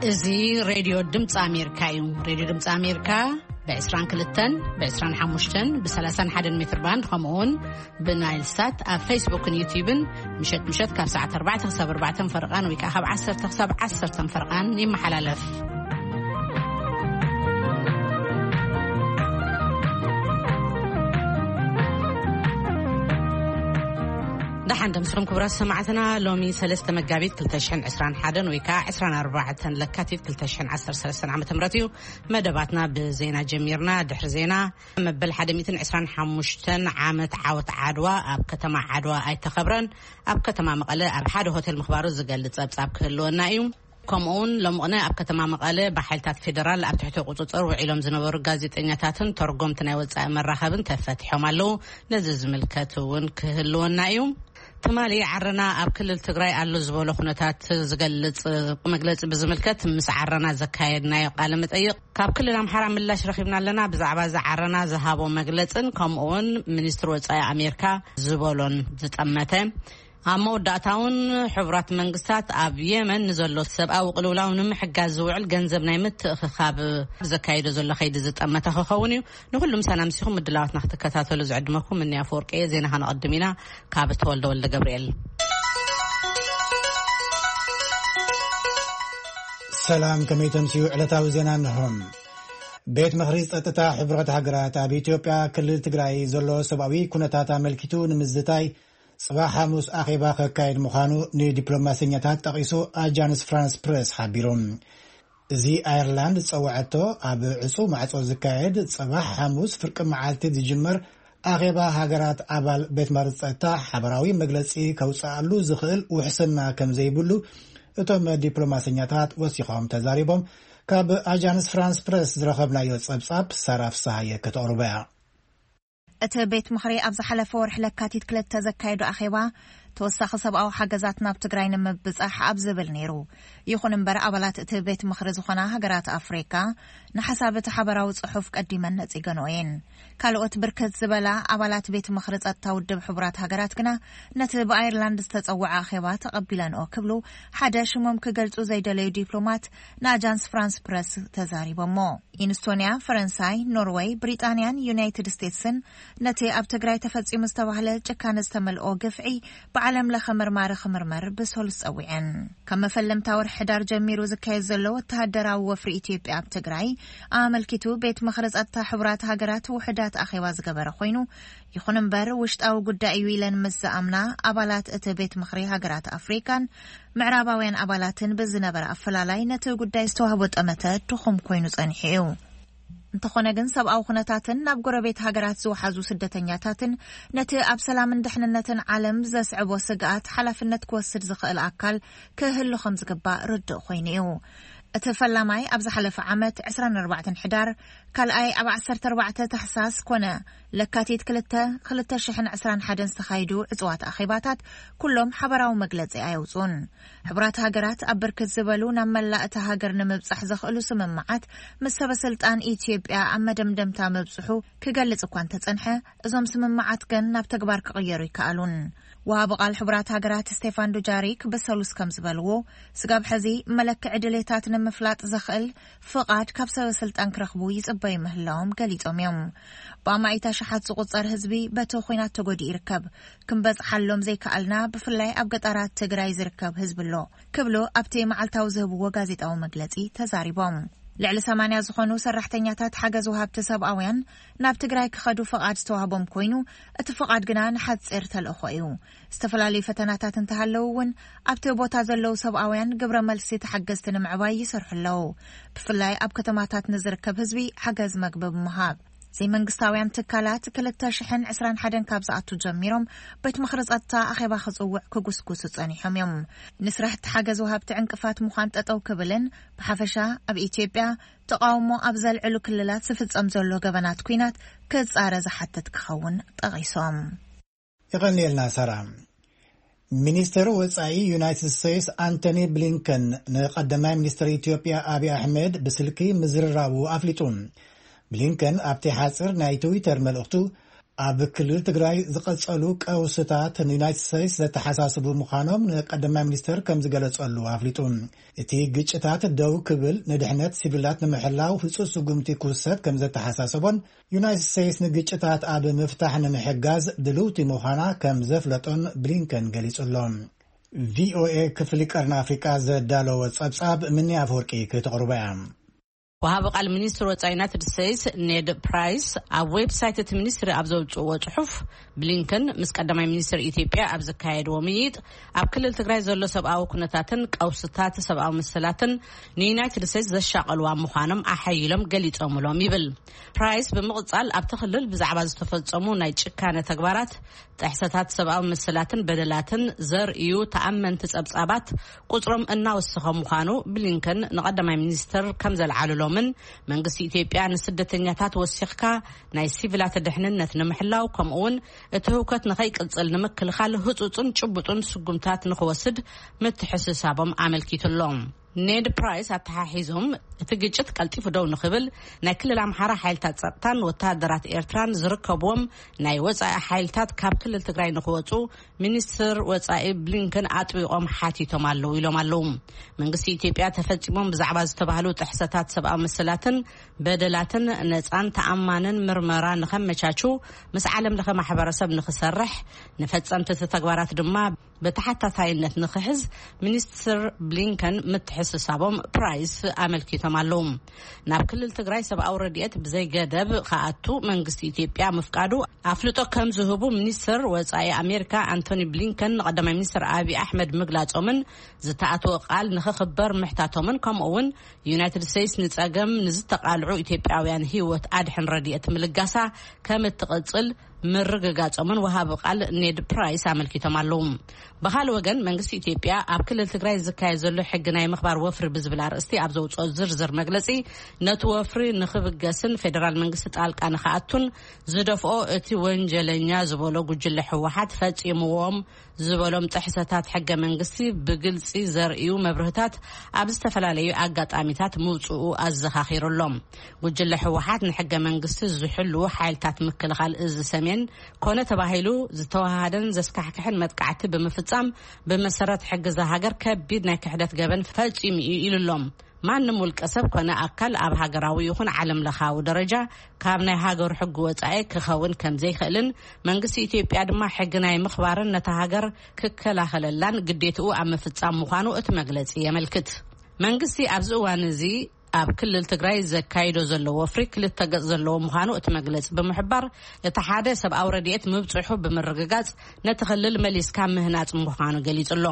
እዚ ሬድዮ ድምፂ ኣሜሪካ እዩ። ሬድዮ ድምፂ ኣሜሪካ ብ22፣ ብ25፣ ብ31 ሜትር ባንድ፣ ከምኡ እውን ብናይል ሳት ኣብ ፌስቡክን ዩቲዩብን ምሸት ምሸት ካብ ሰዓት ኣርባዕተ ክሳብ ኣርባዕተ ፈረቓን ወይ ከዓ ካብ ዓሰርተ ክሳብ ዓሰርተ ፈረቓን ይመሓላለፍ። ደሓን ደምስኹም ክቡራት ሰማዕትና። ሎሚ ሰለስተ መጋቢት ክልተ ሽሕን ዕስራን ሓደን ወይ ከዓ ዕስራን ኣርባዕተን ለካቲት ክልተ ሽሕን ዓሰርተ ሰለስተን ዓመተ ምህረት እዩ። መደባትና ብዜና ጀሚርና። ድሕሪ ዜና፣ መበል ሓደ ሚእትን ዕስራን ሓሙሽተን ዓመት ዓወት ዓድዋ ኣብ ከተማ ዓድዋ ኣይተኸብረን። ኣብ ከተማ መቐለ ኣብ ሓደ ሆቴል ምኽባሩ ዝገልጽ ጸብጻብ ክህልወና እዩ። ከምኡውን ሎምቕነ ኣብ ከተማ መቐለ ብሓይልታት ፌደራል ኣብ ትሕቲ ቁጽጽር ውዒሎም ዝነበሩ ጋዜጠኛታትን ተርጎምቲ ናይ ወጻኢ መራኸብን ተፈቲሖም ኣለዉ። ነዚ ዝምልከት እውን ክህልወና እዩ። ትማሊ ዓረና ኣብ ክልል ትግራይ ኣሎ ዝበሎ ኩነታት ዝገልጽ መግለጺ ብዝምልከት ምስ ዓረና ዘካየድናዮ ቃለ መጠይቕ፣ ካብ ክልል ኣምሓራ ምላሽ ረኺብና ኣለና። ብዛዕባ እዚ ዓረና ዝሃቦ መግለጽን ከምኡውን ሚኒስትሪ ወጻኢ ኣሜሪካ ዝበሎን ዝጠመተ። ኣብ መወዳእታ እውን ሕቡራት መንግስታት ኣብ የመን ንዘሎ ሰብኣዊ ቅልውላው ንምሕጋዝ ዝውዕል ገንዘብ ናይ ምትእኽኻብ ዘካየዶ ዘሎ ከይዲ ዝጠመተ ክኸውን እዩ። ንኹሉ ምሳና ምሲኹም ምድላዋትና ክትከታተሉ ዝዕድመኩም እኒ ኣፈወርቂ እየ። ዜና ከነቐድም ኢና። ካብ ተወልደ ወልደ ገብርኤል። ሰላም፣ ከመይ ተምስዩ? ዕለታዊ ዜና እንሆ። ቤት ምኽሪ ጸጥታ ሕቡራት ሃገራት ኣብ ኢትዮጵያ ክልል ትግራይ ዘሎ ሰብኣዊ ኩነታት ኣመልኪቱ ንምዝታይ ጽባሕ ሓሙስ ኣኼባ ከካየድ ምዃኑ ንዲፕሎማሰኛታት ጠቒሱ ኣጃንስ ፍራንስ ፕረስ ሓቢሩ። እዚ ኣየርላንድ ዝጸውዐቶ ኣብ ዕጹው ማዕጾ ዝካየድ ጽባሕ ሓሙስ ፍርቂ መዓልቲ ዝጅመር ኣኼባ ሃገራት ኣባል ቤት ምኽሪ ጸጥታ ሓበራዊ መግለጺ ከውጽኣሉ ዝኽእል ውሕስና ከም ዘይብሉ እቶም ዲፕሎማሰኛታት ወሲኾም ተዛሪቦም። ካብ ኣጃንስ ፍራንስ ፕረስ ዝረኸብናዮ ጸብጻብ ሳራ ፍስሃየ ከተቕርቦ እያ። እቲ ቤት ምኽሪ ኣብ ዝሓለፈ ወርሒ ለካቲት ክልተ ዘካየዶ ኣኼባ፣ ተወሳኺ ሰብኣዊ ሓገዛት ናብ ትግራይ ንምብጻሕ ኣብ ዝብል ነይሩ። ይኹን እምበር፣ ኣባላት እቲ ቤት ምኽሪ ዝኾና ሃገራት ኣፍሪካ ንሓሳብ እቲ ሓበራዊ ጽሑፍ ቀዲመን ነጺገንኦ እየን። ካልኦት ብርክት ዝበላ ኣባላት ቤት ምኽሪ ጸጥታ ውድብ ሕቡራት ሃገራት ግና ነቲ ብኣየርላንድ ዝተጸውዐ ኣኼባ ተቐቢለንኦ ክብሉ ሓደ ሽሞም ክገልጹ ዘይደለዩ ዲፕሎማት ንኣጃንስ ፍራንስ ፕረስ ተዛሪቦሞ። ኢንስቶንያ፣ ፈረንሳይ፣ ኖርወይ፣ ብሪጣንያን ዩናይትድ ስቴትስን ነቲ ኣብ ትግራይ ተፈጺሙ ዝተባህለ ጭካነ ዝተመልኦ ግፍዒ ብዓለም ለኸ መርማሪ ክምርመር ብሰሉስ ጸዊዐን። ካብ መፈለምታ ወርሒ ሕዳር ጀሚሩ ዝካየድ ዘሎ ወተሃደራዊ ወፍሪ ኢትዮጵያ ኣብ ትግራይ ኣመልኪቱ ቤት ምኽሪ ጸጥታ ሕቡራት ሃገራት ውሕዳት ኣኼባ ዝገበረ ኮይኑ፣ ይኹን እምበር ውሽጣዊ ጉዳይ እዩ ኢለን ምስ ዝኣምና ኣባላት እቲ ቤት ምኽሪ ሃገራት ኣፍሪካን ምዕራባውያን ኣባላትን ብዝነበረ ኣፈላላይ ነቲ ጉዳይ ዝተዋህቦ ጠመተ ድኹም ኮይኑ ጸኒሑ እዩ። እንተኾነ ግን ሰብኣዊ ኩነታትን ናብ ጎረቤት ሃገራት ዝወሓዙ ስደተኛታትን ነቲ ኣብ ሰላምን ድሕንነትን ዓለም ዘስዕቦ ስግኣት ሓላፍነት ክወስድ ዝኽእል ኣካል ክህሉ ከም ዝግባእ ርዱእ ኮይኑ እዩ። እቲ ፈላማይ ኣብ ዝሓለፈ ዓመት ዕስራን ኣርባዕተን ሕዳር፣ ካልኣይ ኣብ ዓሰርተ ኣርባዕተ ታሕሳስ ኮነ ለካቲት ክልተ፣ ክልተ ሽሕን ዕስራን ሓደን ዝተኻየዱ ዕጹዋት ኣኼባታት ኩሎም ሓበራዊ መግለጺ ኣየውጽኡን። ሕቡራት ሃገራት ኣብ ብርክት ዝበሉ ናብ መላእ እታ ሃገር ንምብጻሕ ዘኽእሉ ስምምዓት ምስ ሰበ ስልጣን ኢትዮጵያ ኣብ መደምደምታ ምብጽሑ ክገልጽ እኳ እንተጸንሐ፣ እዞም ስምምዓት ግን ናብ ተግባር ክቕየሩ ይከኣሉን። ወሃቢ ቃል ሕቡራት ሃገራት ስቴፋን ዱጃሪክ ብሰሉስ ከም ዝበልዎ፣ ስጋብ ሕዚ መለክዒ ድሌታት ንምፍላጥ ዘኽእል ፍቓድ ካብ ሰበ ስልጣን ክረኽቡ ይጽበዩ ምህላዎም ገሊጾም እዮም። ብኣማኢት ኣሽሓት ዝቑጸር ህዝቢ በቲ ኹናት ተጎዲኡ ይርከብ። ክንበጽሓሎም ዘይከኣልና፣ ብፍላይ ኣብ ገጠራት ትግራይ ዝርከብ ህዝቢ ኣሎ ክብሉ ኣብቲ መዓልታዊ ዝህብዎ ጋዜጣዊ መግለጺ ተዛሪቦም። ልዕሊ ሰማንያ ዝኾኑ ሰራሕተኛታት ሓገዝ ወሃብቲ ሰብኣውያን ናብ ትግራይ ክኸዱ ፍቓድ ዝተዋህቦም ኮይኑ፣ እቲ ፍቓድ ግና ንሓጺር ተልእኾ እዩ። ዝተፈላለዩ ፈተናታት እንተሃለዉ እውን፣ ኣብቲ ቦታ ዘለዉ ሰብኣውያን ግብረ መልሲ ተሓገዝቲ ንምዕባይ ይሰርሑ ኣለዉ። ብፍላይ ኣብ ከተማታት ንዝርከብ ህዝቢ ሓገዝ መግቢ ብምሃብ። ዘይመንግስታውያን ትካላት ክልተ ሽሕን ዕስራን ሓደን ካብ ዝኣቱ ጀሚሮም ቤት ምኽሪ ጸጥታ ኣኼባ ክጽውዕ ክጉስጉሱ ጸኒሖም እዮም። ንስራሕቲ ሓገዝ ወሃብቲ ዕንቅፋት ምዃን ጠጠው ክብልን ብሓፈሻ ኣብ ኢትዮጵያ ተቓውሞ ኣብ ዘልዕሉ ክልላት ዝፍጸም ዘሎ ገበናት ኲናት ክጻረ ዝሓትት ክኸውን ጠቒሶም። የቐንየልና ሳራ። ሚኒስትር ወጻኢ ዩናይትድ ስቴትስ ኣንቶኒ ብሊንከን ንቀዳማይ ሚኒስትር ኢትዮጵያ ኣብይ ኣሕመድ ብስልኪ ምዝርራቡ ኣፍሊጡ። ብሊንከን ኣብቲ ሓጽር ናይ ትዊተር መልእኽቱ፣ ኣብ ክልል ትግራይ ዝቐጸሉ ቀውስታት ንዩናይትድ ስቴትስ ዘተሓሳስቡ ምዃኖም ንቀዳማይ ሚኒስትር ከም ዝገለጸሉ ኣፍሊጡ። እቲ ግጭታት ደው ክብል፣ ንድሕነት ሲቪላት ንምሕላው ህጹጽ ስጉምቲ ክውሰድ ከም ዘተሓሳሰቦን፣ ዩናይትድ ስቴትስ ንግጭታት ኣብ ምፍታሕ ንምሕጋዝ ድልውቲ ምዃና ከም ዘፍለጦን ብሊንከን ገሊጹ ኣሎ። ቪኦኤ ክፍሊ ቀርኒ ኣፍሪቃ ዘዳለወ ጸብጻብ ምኒ ኣፈወርቂ ክተቕርቦ እያ። ወሃቢ ቃል ሚኒስትር ወጻኢ ዩናይትድ ስቴትስ ኔድ ፕራይስ ኣብ ዌብሳይት እቲ ሚኒስትሪ ኣብ ዘውጽእዎ ጽሑፍ፣ ብሊንከን ምስ ቀዳማይ ሚኒስትር ኢትዮጵያ ኣብ ዘካየድዎ ምይይጥ፣ ኣብ ክልል ትግራይ ዘሎ ሰብኣዊ ኩነታትን ቀውስታት ሰብኣዊ መሰላትን ንዩናይትድ ስቴትስ ዘሻቐልዋ ምዃኖም ኣሓይሎም ገሊጾምሎም ይብል። ፕራይስ ብምቕጻል፣ ኣብቲ ክልል ብዛዕባ ዝተፈጸሙ ናይ ጭካነ ተግባራት፣ ጥሕሰታት ሰብኣዊ መሰላትን በደላትን ዘርእዩ ተኣመንቲ ጸብጻባት ቁጽሮም እናወሰኸ ምዃኑ ብሊንከን ንቐዳማይ ሚኒስትር ከም ዘልዓሉሎምን፣ መንግስቲ ኢትዮጵያ ንስደተኛታት ወሲኽካ ናይ ሲቪላት ድሕንነት ንምሕላው፣ ከምኡውን እቲ ህውከት ንኸይቅጽል ንምክልኻል ህጹጽን ጭቡጥን ስጉምታት ንኽወስድ ምትሕስሳቦም ኣመልኪቱሎም። ኔድ ፕራይስ ኣተሓሒዞም፣ እቲ ግጭት ቀልጢፉ ደው ንኽብል፣ ናይ ክልል ኣምሓራ ሓይልታት ጸጥታን ወተሃደራት ኤርትራን ዝርከብዎም ናይ ወጻኢ ሓይልታት ካብ ክልል ትግራይ ንኽወጹ ሚኒስትር ወጻኢ ብሊንከን ኣጥቢቖም ሓቲቶም ኣለዉ ኢሎም ኣለዉ። መንግስቲ ኢትዮጵያ ተፈጺሞም ብዛዕባ ዝተባህሉ ጥሕሰታት ሰብኣዊ መሰላትን በደላትን ነጻን ተኣማንን ምርመራ ንኸመቻቹ ምስ ዓለም ለኸ ማሕበረሰብ ንኽሰርሕ፣ ንፈጸምቲ እቲ ተግባራት ድማ ብተሓታታይነት ንኽሕዝ ሚኒስትር ብሊንከን ምትሕስሳቦም ፕራይስ ኣመልኪቶም ኣለዉ። ናብ ክልል ትግራይ ሰብኣዊ ረድኤት ብዘይገደብ ክኣቱ መንግስቲ ኢትዮጵያ ምፍቃዱ ኣፍልጦ ከም ዝህቡ ሚኒስትር ወጻኢ ኣሜሪካ ኣንቶኒ ብሊንከን ንቀዳማይ ሚኒስትር ኣብይ ኣሕመድ ምግላጾምን ዝተኣትወ ቃል ንኽኽበር ምሕታቶምን፣ ከምኡ እውን ዩናይትድ ስቴትስ ንጸገም ንዝተቓልዑ ኢትዮጵያውያን ህይወት ኣድሕን ረድኤት ምልጋሳ ከም እትቕጽል ምርግጋጾምን ወሃቢ ቃል ኔድ ፕራይስ ኣመልኪቶም ኣለዉ። ብኻልእ ወገን፣ መንግስቲ ኢትዮጵያ ኣብ ክልል ትግራይ ዝካየድ ዘሎ ሕጊ ናይ ምኽባር ወፍሪ ብዝብል ኣርእስቲ ኣብ ዘውፅኦ ዝርዝር መግለጺ፣ ነቲ ወፍሪ ንኽብገስን ፌደራል መንግስቲ ጣልቃ ንኽኣቱን ዝደፍኦ እቲ ወንጀለኛ ዝበሎ ጉጅለ ህወሓት ፈጺምዎም ዝበሎም ጥሕሰታት ሕገ መንግስቲ ብግልጺ ዘርእዩ መብርህታት ኣብ ዝተፈላለዩ ኣጋጣሚታት ምውፅኡ ኣዘኻኺሩ ኣሎ። ጉጅለ ህወሓት ንሕገ መንግስቲ ዝሕልዉ ሓይልታት ምክልኻል እዚ ሰሜን ኮነ ተባሂሉ ዝተወሃሃደን ዘስካሕክሕን መጥቃዕቲ ብምፍጻም፣ ብመሰረት ሕጊ እዛ ሃገር ከቢድ ናይ ክሕደት ገበን ፈጺሙ እዩ ኢሉ ኣሎ። ማንም ውልቀ ሰብ ኮነ ኣካል ኣብ ሃገራዊ ይኹን ዓለም ለኻዊ ደረጃ ካብ ናይ ሃገሩ ሕጊ ወጻኢ ክኸውን ከም ዘይኽእልን፣ መንግስቲ ኢትዮጵያ ድማ ሕጊ ናይ ምኽባርን ነታ ሃገር ክከላኸለላን ግዴትኡ ኣብ ምፍጻም ምዃኑ እቲ መግለጺ የመልክት። መንግስቲ ኣብዚ እዋን እዚ ኣብ ክልል ትግራይ ዘካይዶ ዘሎ ወፍሪ ክልተ ገጽ ዘለዎ ምዃኑ እቲ መግለጺ ብምሕባር፣ እቲ ሓደ ሰብኣዊ ረድኤት ምብጽሑ ብምርግጋጽ ነቲ ክልል መሊስካ ምህናጽ ምዃኑ ገሊጹ ኣሎ።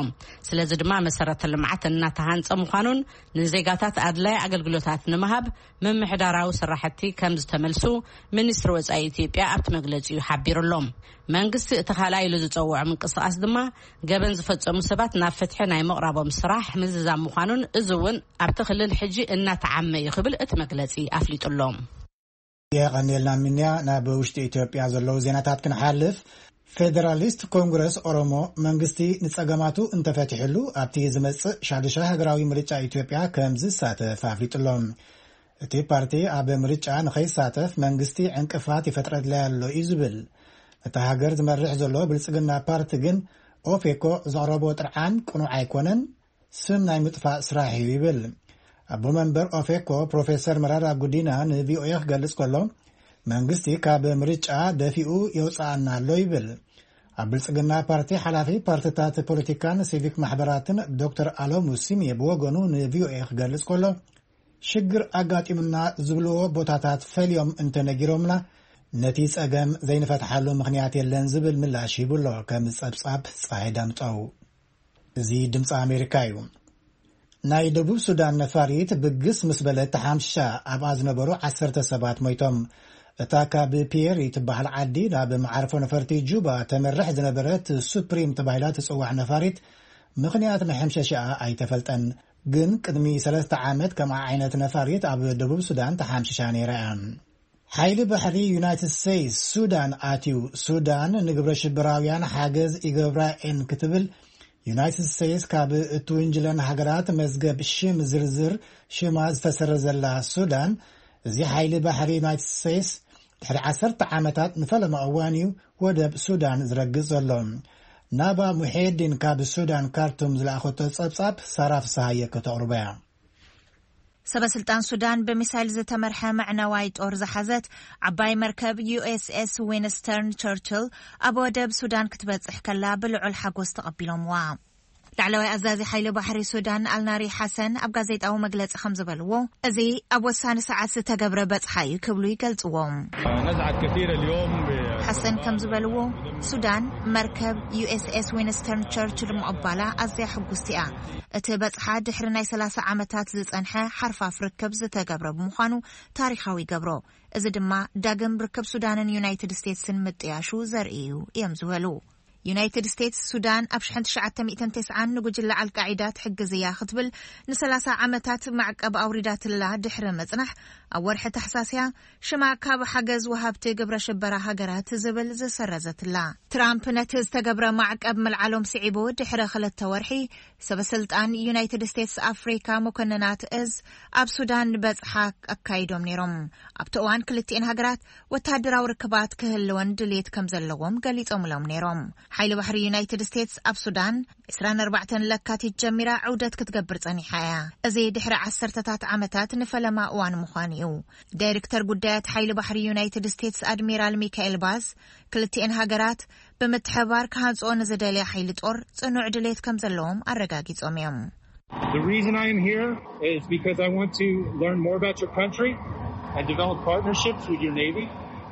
ስለዚ ድማ መሰረተ ልምዓት እናተሃንጸ ምዃኑን ንዜጋታት ኣድላይ ኣገልግሎታት ንምሃብ ምምሕዳራዊ ስራሕቲ ከም ዝተመልሱ ሚኒስትሪ ወጻኢ ኢትዮጵያ ኣብቲ መግለጺኡ ሓቢሩ ኣሎ። መንግስቲ እቲ ካልኣይ ኢሉ ዝጸውዖ ምንቅስቓስ ድማ ገበን ዝፈጸሙ ሰባት ናብ ፍትሒ ናይ ምቕራቦም ስራሕ ምዝዛም ምዃኑን፣ እዚ እውን ኣብቲ ክልል ሕጂ እናተዓመ እዩ ክብል እቲ መግለጺ ኣፍሊጡ ኣሎ። የቐንየልና ሚንያ። ናብ ውሽጢ ኢትዮጵያ ዘለዉ ዜናታት ክንሓልፍ፣ ፌደራሊስት ኮንግረስ ኦሮሞ መንግስቲ ንጸገማቱ እንተፈቲሕሉ ኣብቲ ዝመጽእ ሻዱሻይ ሃገራዊ ምርጫ ኢትዮጵያ ከም ዝሳተፍ ኣፍሊጡ ኣሎ። እቲ ፓርቲ ኣብ ምርጫ ንኸይሳተፍ መንግስቲ ዕንቅፋት ይፈጥረለይ ኣሎ እዩ ዝብል። እታ ሃገር ዝመርሕ ዘሎ ብልጽግና ፓርቲ ግን ኦፌኮ ዘቕረቦ ጥርዓን ቅኑዕ ኣይኮነን፣ ስም ናይ ምጥፋእ ስራሕ እዩ ይብል። ኣቦ መንበር ኦፌኮ ፕሮፌሰር መራራ ጉዲና ንቪኦኤ ክገልጽ ከሎ፣ መንግስቲ ካብ ምርጫ ደፊኡ የውፅኣና ኣሎ ይብል። ኣብ ብልጽግና ፓርቲ ሓላፊ ፓርቲታት ፖለቲካን ሲቪክ ማሕበራትን ዶክተር ኣሎሙ ሲሜ ብወገኑ ንቪኦኤ ክገልጽ ከሎ፣ ሽግር ኣጋጢሙና ዝብልዎ ቦታታት ፈልዮም እንተነጊሮምና፣ ነቲ ጸገም ዘይንፈትሓሉ ምኽንያት የለን ዝብል ምላሽ ሂቡ ኣሎ። ከም ጸብጻብ ፀሓይ ዳምጠው። እዚ ድምፂ ኣሜሪካ እዩ። ናይ ደቡብ ሱዳን ነፋሪት ብግስ ምስ በለት ተሓምሻ፣ ኣብኣ ዝነበሩ ዓሰርተ ሰባት ሞይቶም። እታ ካብ ፒየሪ ትበሃል ዓዲ ናብ መዓርፎ ነፈርቲ ጁባ ተመርሕ ዝነበረት ሱፕሪም ተባሂላ ትጽዋዕ ነፋሪት ምኽንያት መሐምሸሽኣ ኣይተፈልጠን። ግን ቅድሚ ሰለስተ ዓመት ከምኣ ዓይነት ነፋሪት ኣብ ደቡብ ሱዳን ተሓምሽሻ ነይራ እያ። ሓይሊ ባሕሪ ዩናይትድ ስቴትስ ሱዳን ኣትዩ። ሱዳን ንግብረ ሽበራውያን ሓገዝ ይገብራ እየን ክትብል ዩናይትድ ስቴትስ ካብ እትውንጅለን ሃገራት መዝገብ ሽም ዝርዝር ሽማ ዝተሰረዘላ ሱዳን፣ እዚ ሓይሊ ባሕሪ ዩናይትድ ስቴትስ ድሕሪ ዓሰርተ ዓመታት ንፈለማ እዋን እዩ ወደብ ሱዳን ዝረግጽ ዘሎ። ናባ ሙሄዲን ካብ ሱዳን ካርቱም ዝለኣኸቶ ጸብጻብ ሳራ ፍስሃየ ከተቕርቦ እያ። ሰበ ስልጣን ሱዳን ብሚሳይል ዝተመርሐ መዕነዋይ ጦር ዝሓዘት ዓባይ መርከብ ዩ ኤስ ኤስ ዊንስተርን ቸርችል ኣብ ወደብ ሱዳን ክትበጽሕ ከላ ብልዑል ሓጎስ ተቐቢሎምዋ። ላዕለዋይ ኣዛዚ ሓይሊ ባሕሪ ሱዳን ኣልናሪ ሓሰን ኣብ ጋዜጣዊ መግለጺ ከም ዝበልዎ፣ እዚ ኣብ ወሳኒ ሰዓት ዝተገብረ በጽሓ እዩ ክብሉ ይገልጽዎ። نزعت كثير اليوم ب- ሓሰን ከም ዝበልዎ፣ ሱዳን መርከብ ዩ ኤስ ኤስ ዊንስተርን ቸርችል ምቕባላ ኣዝያ ሕጉስቲ እያ። እቲ በጽሓ ድሕሪ ናይ ሰላሳ ዓመታት ዝጸንሐ ሓርፋፍ ርክብ ዝተገብረ ብምዃኑ ታሪኻዊ ይገብሮ። እዚ ድማ ዳግም ርክብ ሱዳንን ዩናይትድ ስቴትስን ምጥያሹ ዘርኢ እዩ እዮም ዝበሉ። ዩናይትድ ስቴትስ ሱዳን ኣብ ሽሕን ትሽዓተ ሚእትን ተስዓን ንጉጅለ ኣልቃዒዳ ትሕግዝ እያ ክትብል ንሰላሳ ዓመታት ማዕቀብ ኣውሪዳትላ ድሕሪ ምጽናሕ፣ ኣብ ወርሒ ታሕሳስያ ሽማ ካብ ሓገዝ ወሃብቲ ግብረ ሽበራ ሃገራት ዝብል ዝሰረዘትላ። ትራምፕ ነቲ ዝተገብረ ማዕቀብ ምልዓሎም ስዒቡ ድሕሪ ክልተ ወርሒ፣ ሰበ ስልጣን ዩናይትድ ስቴትስ ኣፍሪካ መኮንናት እዝ ኣብ ሱዳን በጽሓ ኣካይዶም ነይሮም። ኣብቲ እዋን ክልቲኤን ሃገራት ወታደራዊ ርክባት ክህልወን ድልየት ከም ዘለዎም ገሊጾምሎም ነይሮም። ሓይሊ ባሕሪ ዩናይትድ ስቴትስ ኣብ ሱዳን ዕስራን ኣርባዕተን ለካቲት ጀሚራ ዑደት ክትገብር ጸኒሓ እያ። እዚ ድሕሪ ዓሰርተታት ዓመታት ንፈለማ እዋን ምዃኑ እዩ። ዳይሬክተር ጉዳያት ሓይሊ ባሕሪ ዩናይትድ ስቴትስ ኣድሚራል ሚካኤል ባዝ፣ ክልቲኤን ሃገራት ብምትሕብባር ክሃንጽኦ ንዝደልያ ሓይሊ ጦር ጽኑዕ ድሌት ከም ዘለዎም ኣረጋጊጾም እዮም። The reason I am here is because I want to learn more about your country and develop partnerships with your Navy.